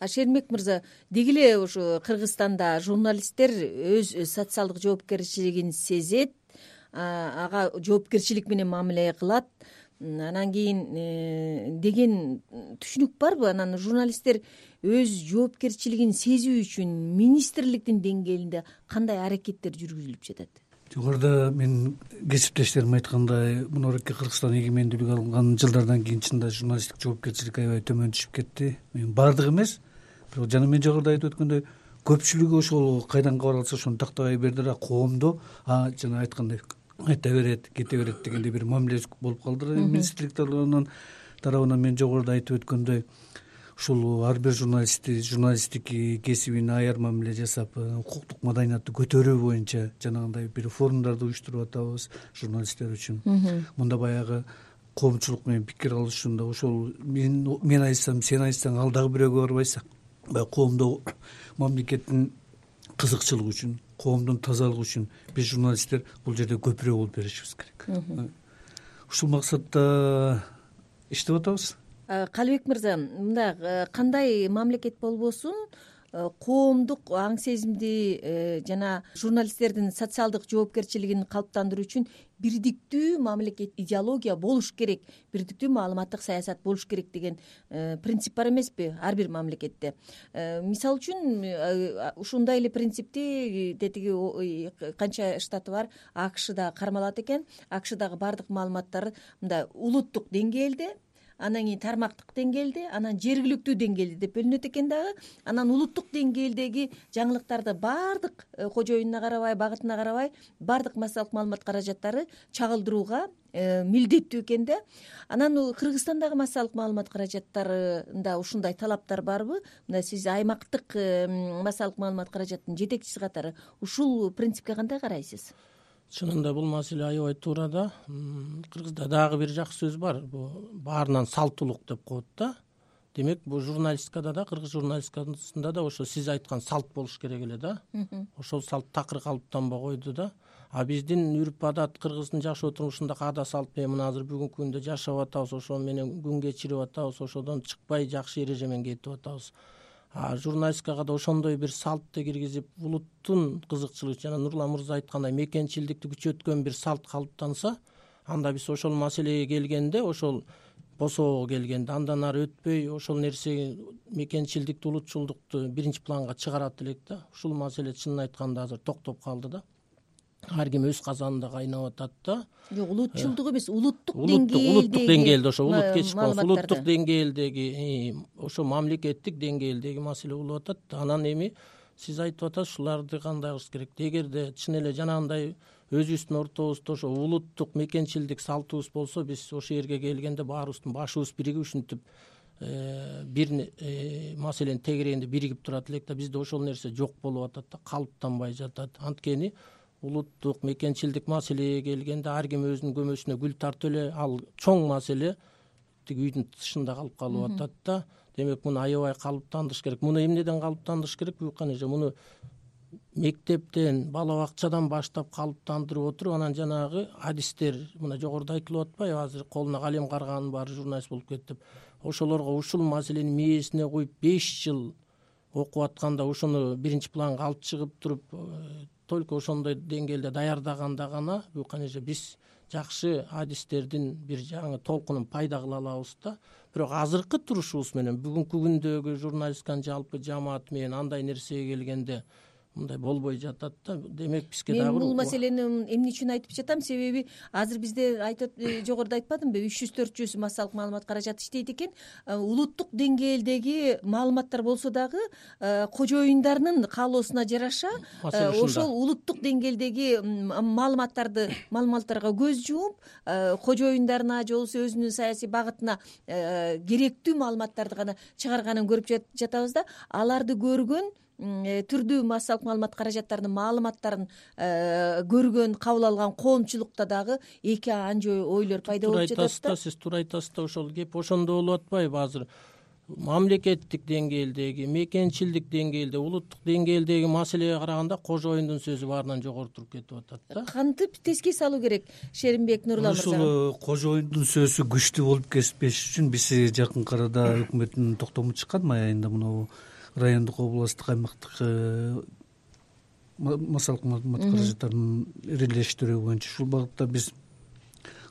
Шермек мырза, деги эле ушу Кыргызстанда журналисттер өз социалдык жоопкерчилигин сезет, ага жоопкерчилик менен мамиле кылат. Анан кийин деген түшүнүк барбы? Анан журналисттер өз жоопкерчилигин сезүү үчүн министрликтин деңгээлинде кандай аракеттер жүргүзүлүп жатат? Жогоруда мен кесиптештерим айткандай, мынорки Кыргызстан эгемендүүлүк алган жылдардан кийин чынында журналисттик жоопкерчилик аябай төмөн түшүп кетти. Баардыгы эмес, бирок жана мен жогоруда айтып өткөндөй көпчүлүгү ошол кайдан кабар алса ошону тактабай берди да, коомдо жана айткандай айта берет, кете берет дегендей бир мамиле болуп калды. Министрлик тарабынан мен жогоруда айтып өткөндөй ушул ар бир журналисттик кесибине аяр мамиле жасап, укуктук маданиятты көтөрүү боюнча жанагындай бир форумдарды уюштуруп атабыз журналисттер үчүн. Мында баягы коомчулук менен пикир алышууда ошол мен айтсам, сен айтсаң ал дагы бирөөгө барбайсың. Баягы коомдо мамлекеттин кызыкчылыгы үчүн, коомдун тазалыгы үчүн биз журналисттер бул жерде көпүрө болуп беришибиз керек. Ушул максатта иштеп атабыз. Калыбек мырза, мында кандай мамлекет болбосун коомдук аң сезимди жана журналисттердин социалдык жоопкерчилигин калыптандыруу үчүн бирдиктүү мамлекет идеология болуш керек, бирдиктүү маалыматтык саясат болуш керек деген принцип бар эмеспи ар бир мамлекетте? Мисалы үчүн ушундай эле принципти тетиги канча штаты бар, АКШда кармалат экен. АКШдагы баардык маалыматтар мындай улуттук деңгээлде, анан кийин тармактык деңгээлде, анан жергиликтүү деңгээлде деп бөлүнөт экен дагы. Анан улуттук деңгээлдеги жаңылыктарды баардык кожоюнуна карабай, багытына карабай, баардык массалык маалымат каражаттары чагылдырууга милдеттүү экен да. Анан Кыргызстандагы массалык маалымат каражаттарында ушундай талаптар барбы? Мына сиз аймактык массалык маалымат каражаттын жетекчиси катары ушул принципке кандай карайсыз? Чынында бул маселе аябай туура да. Кыргызда дагы бир жакшы сөз бар. Бул баарынан салттуулук деп коет да. Демек, бул журналистикада да, кыргыз журналистикасында да ошо сиз айткан салт болуш керек эле да. Ошол салт такыр калыптанбай койду да. Биздин үрп адат, кыргыздын жашоо турмушундагы ада салт менен мына азыр бүгүнкү күндө жашап атабыз, ошол менен күн кечирип атабыз, ошодон чыкпай жакшы эреже менен кетип атабыз. Журналистикага да ошондой бир салтты киргизип, улуттун кызыкчылыгы жана Нурлан мырза айткандай мекенчилдикти күчөткөн бир салт калыптанса, анда биз ошол маселеге келгенде, ошол босоого келгенде андан ары өтпөй ошол нерсе мекенчилдикти, улутчулдукту биринчи планга чыгарат элек да. Ушул маселе чынын айтканда азыр токтоп калды да. Ар ким өз казанында кайнап атат да. Жок, улутчулдук эмес, улуттук деңгээлде ошо улут кечип калса, улуттук деңгээлдеги, ошо мамлекеттик деңгээлдеги маселе болуп атат. Анан эми сиз айтып атасыз, ушуларды кандай кылыш керек? Эгерде чын эле жанагындай өзүбүздүн ортобузда ошо улуттук мекенчилдик салтыбыз болсо, биз ошол жерге келгенде баарыбыздын башыбыз биригип ушинтип бир маселенин тегерегинде биригип турат элек да. Бизде ошол нерсе жок болуп атат да, калыптанбай жатат. Анткени улуттук мекенчилдик маселеге келгенде ар ким өзүнүн көмөсүнө гүл тартып эле, ал чоң маселе тиги үйдүн тышында калып калып атат да. Демек, муну аябай калыптандырыш керек. Муну эмнеден калыптандырыш керек? Муну мектептен, бала бакчадан баштап калыптандырып отуруп, анан жанагы адистер, мына жогоруда айтылып атпайбы, азыр колуна калем карганын баары журналист болуп кетти деп. Ошолорго ушул маселени мээсине коюп 5 жыл окуп атканда ошону биринчи планга алып чыгып туруп, только ошондой деңгээлде даярдаганда гана биз жакшы адистердин бир жаңы толкунун пайда кыла алабыз да. Бирок азыркы турушубуз менен бүгүнкү күндөгү журналистиканын жалпы жамааты менен андай нерсеге келгенде мындай болбой жатат да. Демек, бизге дагы бул маселени эмне үчүн айтып жатам? Себеби азыр бизде жогоруда айтпадымбы, 300-400 массалык маалымат каражаты иштейт экен. Улуттук деңгээлдеги маалыматтар болсо дагы кожоюндарынын каалоосуна жараша ошол улуттук деңгээлдеги маалыматтарга көз жумуп, кожоюндарына же болбосо өзүнүн саясий багытына керектүү маалыматтарды гана чыгарганын көрүп жатабыз да. Аларды көргөн түрдүү массалык маалымат каражаттарынын маалыматтарын көргөн, кабыл алган коомчулукта дагы эки анча ойлор пайда болуп жатат да. Сиз туура айтасыз да, ошол кеп ошондо болуп атпайбы? Азыр мамлекеттик деңгээлдеги, мекенчилдик деңгээлде, улуттук деңгээлдеги маселеге караганда кожоюндун сөзү баарынан жогору туруп кетип атат да. Кантип теске салуу керек Шеримбек Нурлан мырза? Ушул кожоюндун сөзү күчтүү болуп кетпеш үчүн биз жакынкы арада өкмөттүн токтому чыккан май айында мына райондук, областтык, аймактык массалык маалымат каражаттарын ирелештирүү боюнча ушул багытта биз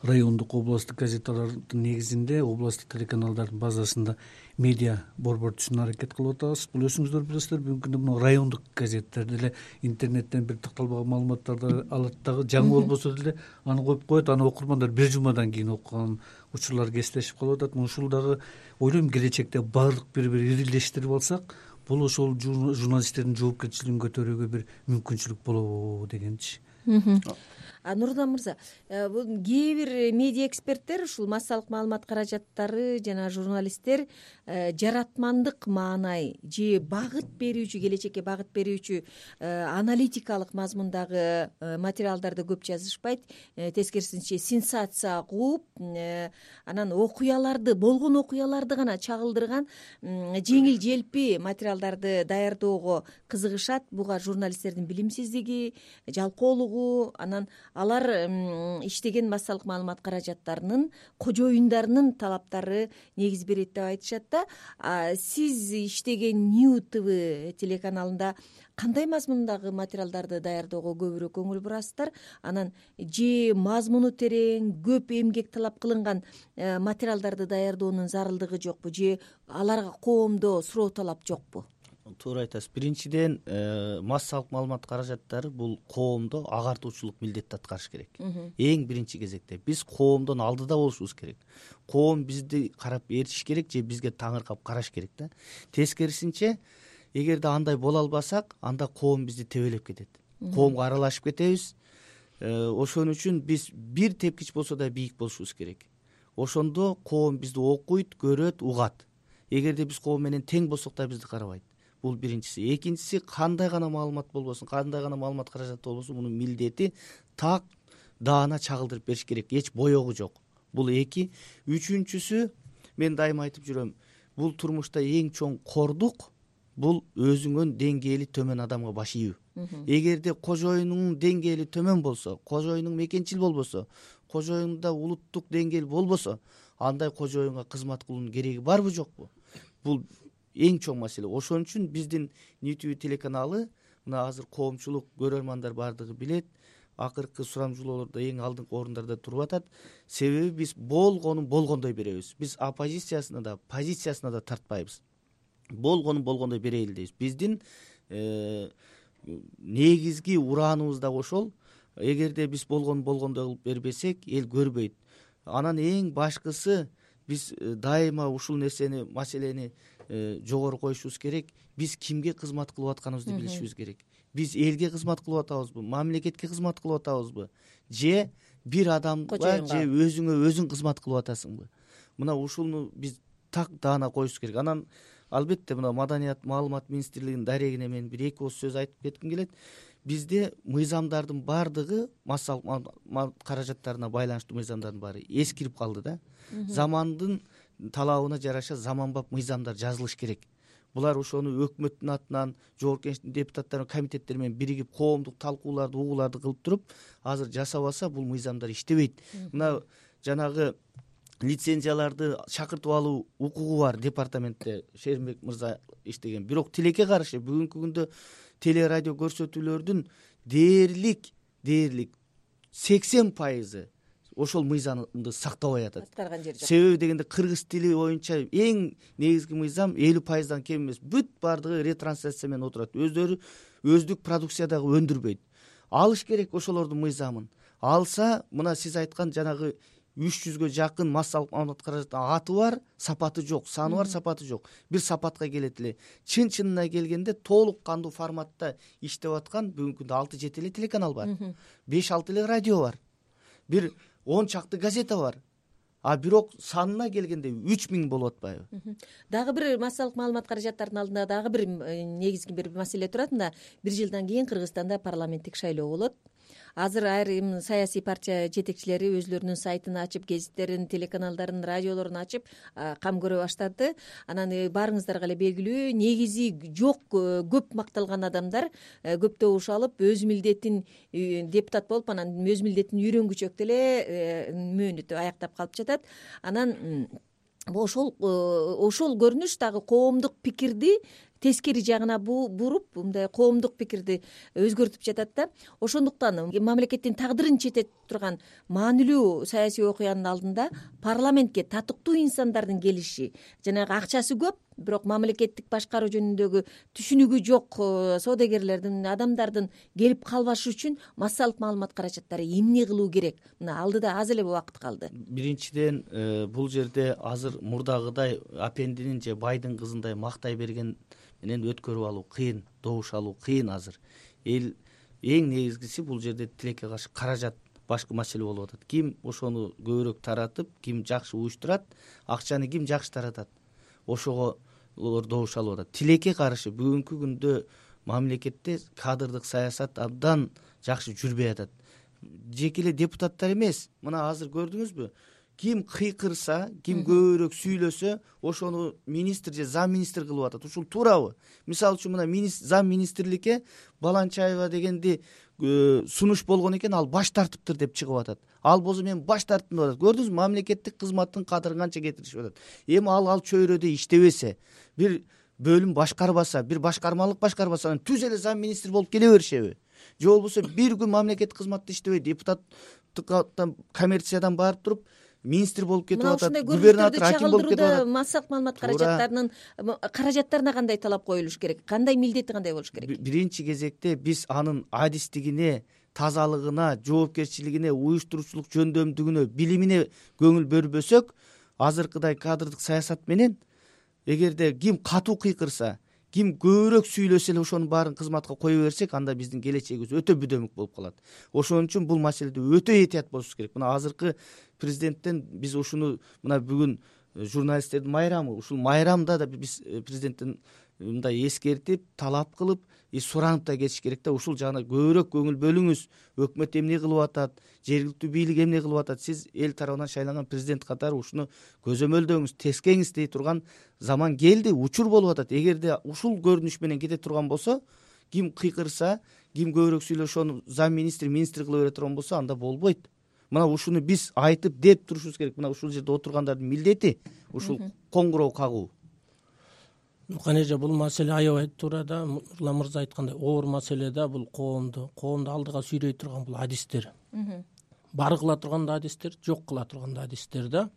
райондук, областтык газеталардын негизинде областтык телеканалдардын базасында медиа борбор түзүүнү аракет кылып атабыз. Бул өзүңүздөр билесиздер, бүгүнкү күндө мына райондук газеттер деле интернеттен бир такталбаган маалыматтарды алат дагы, жаңы болбосо деле аны коюп коет, аны окурмандар бир жумадан кийин окуган учурлар кесиптешип калып атат. Ушул дагы ойлойм келечекте баардык бири ирилештирип алсак, бул ошол журналисттердин жоопкерчилигин көтөрүүгө бир мүмкүнчүлүк болобу дегенчи. Нурлан мырза, кээ бир медиа эксперттер ушул массалык маалымат каражаттары жана журналисттер жаратмандык маанай же багыт берүүчү, келечекке багыт берүүчү аналитикалык мазмундагы материалдарды көп жазышпайт, тескерисинче сенсация кууп, анан окуяларды, болгон окуяларды гана чагылдырган жеңил желпи материалдарды даярдоого кызыгышат. Буга журналисттердин билимсиздиги, жалкоолугу, анан алар иштеген массалык маалымат каражаттарынын кожоюндарынын талаптары негиз берет деп айтышат да. Сиз иштеген New TV телеканалында кандай мазмундагы материалдарды даярдоого көбүрөөк көңүл бурасыздар? Анан же мазмуну терең, көп эмгек талап кылынган материалдарды даярдоонун зарылдыгы жокпу, же аларга коомдо суроо талап жокпу? Туура айтасыз. Биринчиден, массалык маалымат каражаттары бул коомдо агартуучулук милдетти аткарыш керек. Эң биринчи кезекте биз коомдон алдыда болушубуз керек. Коом бизди карап ээрчиш керек же бизге таңыркап караш керек да. Тескерисинче, эгерде андай боло албасак, анда коом бизди тебелеп кетет. Коомго аралашып кетебиз. Ошон үчүн биз бир тепкич болсо да бийик болушубуз керек. Ошондо коом бизди окуйт, көрөт, угат. Эгерде биз коом менен тең болсок да бизди карабайт. Бул биринчиси. Экинчиси, кандай гана маалымат болбосун, кандай гана маалымат каражаты болбосун, мунун милдети так даана чагылдырып бериш керек. Эч боёгу жок. Бул эки. Үчүнчүсү, мен дайыма айтып жүрөм, бул турмушта эң чоң кордук бул өзүңөн деңгээли төмөн адамга баш ийүү. Эгерде кожоюнуң деңгээли төмөн болсо, кожоюнуң мекенчил болбосо, кожоюнда улуттук деңгээл болбосо, андай кожоюнга кызмат кылуунун кереги барбы жокпу? Бул эң чоң маселе. Ошон үчүн биздин New TV телеканалы мына азыр коомчулук, көрөрмандар баардыгы билет, акыркы сурамжылоолордо эң алдыңкы орундарда туруп атат. Себеби биз болгонун болгондой беребиз. Биз оппозициясына да, позициясына да тартпайбыз. Болгонун болгондой берели дейбиз. Биздин негизги урааныбыз да ошол. Эгерде биз болгонун болгондой кылып бербесек, эл көрбөйт. Анан эң башкысы, биз дайыма ушул маселени жогору коюшубуз керек. Биз кимге кызмат кылып атканыбызды билишибиз керек. Биз элге кызмат кылып атабызбы, мамлекетке кызмат кылып атабызбы, же бир адамга, же өзүңө өзүң кызмат кылып атасыңбы? Мына ушуну биз так даана коюшубуз керек. Анан албетте мына Маданият маалымат министрлигинин дарегине мен бир эки ооз сөз айтып кетким келет. Бизде мыйзамдардын баардыгы, массалык маалымат каражаттарына байланыштуу мыйзамдардын баары эскирип калды да. Замандын талабына жараша заманбап мыйзамдар жазылыш керек. Булар ошону өкмөттүн атынан, жогорку кеңештин депутаттары, комитеттери менен биригип коомдук талкууларды, угууларды кылып туруп, азыр жасабаса бул мыйзамдар иштебейт. Мына жанагы лицензияларды чакыртып алуу укугу бар департаментте, Шеримбек мырза иштеген. Бирок тилекке каршы бүгүнкү күндө телерадио көрсөтүүлөрдүн дээрлик 80% ошол мыйзамды сактабай атат. Себеби дегенде кыргыз тили боюнча эң негизги мыйзам 50%дан кем эмес. Бүт баардыгы ретрансляция менен отурат. Өздөрү өздүк продукциядагы өндүрбөйт. Алыш керек ошолордун мыйзамын. Алса, мына сиз айткан жанагы 300гө жакын массалык маалымат каражаттын аты бар, сапаты жок, саны бар, сапаты жок. Бир сапатка келет эле. Чын-чынына келгенде толук кандуу форматта иштеп аткан бүгүнкү күндө 6-7 эле телеканал бар. 5-6 эле радио бар. Бир 10 чакты газета бар. Бирок санына келгенде 3000 болуп атпайбы? Дагы бир массалык маалымат каражаттарынын алдында дагы бир негизги бир маселе турат. Мында 1 жылдан кийин Кыргызстанда парламенттик шайлоо болот. азыр айрым саясий партия жетекчилери өзлөрүнүн сайтын ачып, гезиттерин, телеканалдарын, радиолорун ачып кам көрө баштады. Анан баарыңыздарга эле белгилүү, негизи жок көп макталган адамдар көптөбүш алып, өз милдетин депутат болуп, анан өз милдетин үйрөнгүчөк деле мөөнөтү аяктап калып жатат. Анан ошол көрүнүш дагы коомдук пикирди тескери жагына буруп, мындай коомдук пикирди өзгөртүп жатат да. Ошондуктан мамлекеттин тагдырын чететип турган маанилүү саясий окуянын алдында парламентке татыктуу инсандардын келиши, жанагы акчасы көп, бирок мамлекеттик башкаруу жөнүндөгү түшүнүгү жок соодагерлердин, адамдардын келип калбашы үчүн массалык маалымат каражаттары эмне кылуу керек? Мына алдыда аз эле убакыт калды. Биринчиден, бул жерде азыр мурдагыдай апендинин же байдын кызындай мактай берген менен өткөрүп алуу кыйын, добуш алуу кыйын. Азыр эл эң негизгиси бул жерде тилекке каршы каражат башкы маселе болуп атат. Ким ошону көбүрөөк таратып, ким жакшы уюштурат, акчаны ким жакшы таратат, ошого добуш алып атат. Тилекке каршы бүгүнкү күндө мамлекетте кадрдык саясат абдан жакшы жүрбөй атат. Жеке эле депутаттар эмес, мына азыр көрдүңүзбү, ким кыйкырса, ким көбүрөөк сүйлөсө, ошону министр же зам министр кылып атат. Ушул туурабы? Мисалы үчүн мына зам министрликке Баланчаева дегенди сунуш болгон экен, ал баш тартыптыр деп чыгып атат. Ал болсо мен баш тарттым деп атат. Көрдүңүзбү, мамлекеттик кызматтын кадырын канча кетиришип атат. Эми ал чөйрөдө иштебесе, бир бөлүм башкарбаса, бир башкармалык башкарбаса, анан түз эле зам министр болуп келе беришеби? Же болбосо бир күн мамлекеттик кызматта иштебей, депутаттыктан, коммерциядан барып туруп министр болуп кетип атат, губернатор, аким болуп кетип атат. Массалык маалымат каражаттарына кандай талап коюлуш керек? Кандай милдети кандай болуш керек? Биринчи кезекте биз анын адистигине, тазалыгына, жоопкерчилигине, уюштуруучулук жөндөмдүгүнө, билимине көңүл бөлбөсөк, азыркыдай кадрдык саясат менен эгерде ким катуу кыйкырса, ким көбүрөөк сүйлөсө эле ошонун баарын кызматка кое берсек, анда биздин келечегибиз өтө бүдөмүк болуп калат. Ошон үчүн бул маселеде өтө этият болушубуз керек. Мына азыркы президенттен биз ушуну, мына бүгүн журналисттердин майрамы, ушул майрамда да биз президенттен мындай эскертип, талап кылып, суранып да кетиш керек да. Ушул жагына көбүрөөк көңүл бөлүңүз. Өкмөт эмне кылып атат, жергиликтүү бийлик эмне кылып атат, сиз эл тарабынан шайланган президент катары ушуну көзөмөлдөңүз, тескеңиз дей турган заман келди, учур болуп атат. Эгерде ушул көрүнүш менен кете турган болсо, ким кыйкырса, ким көбүрөөк сүйлөшө, ошону зам министр кыла бере турган болсо, анда болбойт. Мына ушуну биз айтып деп турушубуз керек. Мына ушул жерде отургандардын милдети ушул коңгуроо кагуу. Кане эже, бул маселе аябай туура да. Нурлан мырза айткандай, оор маселе да. Бул коомду алдыга сүйрөй турган бул адистер. Бар кыла турган да адистер, жок кыла турган да адистер да.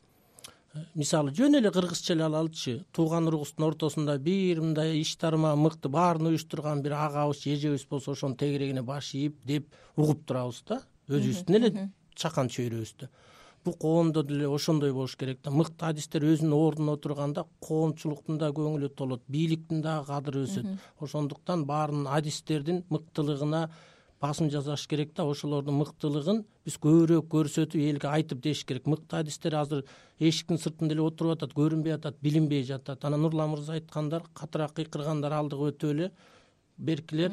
Мисалы жөн эле кыргызча эле алалычы. Тууган уругубуздун ортосунда бир мындай иш тарма мыкты баарын уюштурган бир агабыз, эжебиз болсо, ошонун тегерегине баш ийип деп угуп турабыз да. Өзүбүздүн эле чакан чөйрөбүздө. Бул коомдо деле ошондой болуш керек да. Мыкты адистер өзүнүн ордуна отурганда коомчулуктун да көңүлү толот, бийликтин да кадыры өсөт. Ошондуктан баарынын адистердин мыктылыгына басым жасаш керек да. Ошолордун мыктылыгын биз көбүрөөк көрсөтүп, элге айтып деш керек. Мыкты адистер азыр эшиктин сыртында эле отуруп атат, көрүнбөй атат, билинбей жатат. Анан Нурлан мырза айткандар, катыраак кыйкыргандар алдыга өтүп эле, беркилер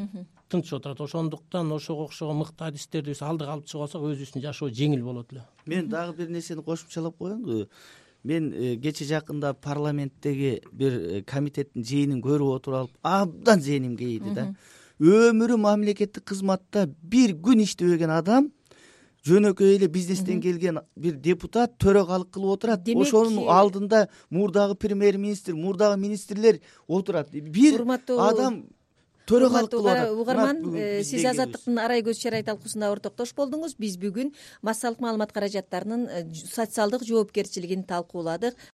тынч отурат. Ошондуктан ошого окшогон мыкты адистерди биз алдыга алып чыгып алсак, өзүбүздүн жашоо жеңил болот эле. Мен дагы бир нерсени кошумчалап коеюнбу? Мен кече жакында парламенттеги бир комитеттин жыйынын көрүп отуруп алып, абдан зээним кейиди да. Өмүрү мамлекеттик кызматта бир күн иштебеген адам, жөнөкөй эле бизнестен келген бир депутат төрөгалык кылып отурат. Ошонун алдында мурдагы премьер-министр, мурдагы министрлер отурат. Бир адам төрөгалык кылып атат. Угарман, сиз Азаттыктын арай көз чарай талкуусунда ортоктош болдуңуз. Биз бүгүн массалык маалымат каражаттарынын социалдык жоопкерчилигин талкууладык.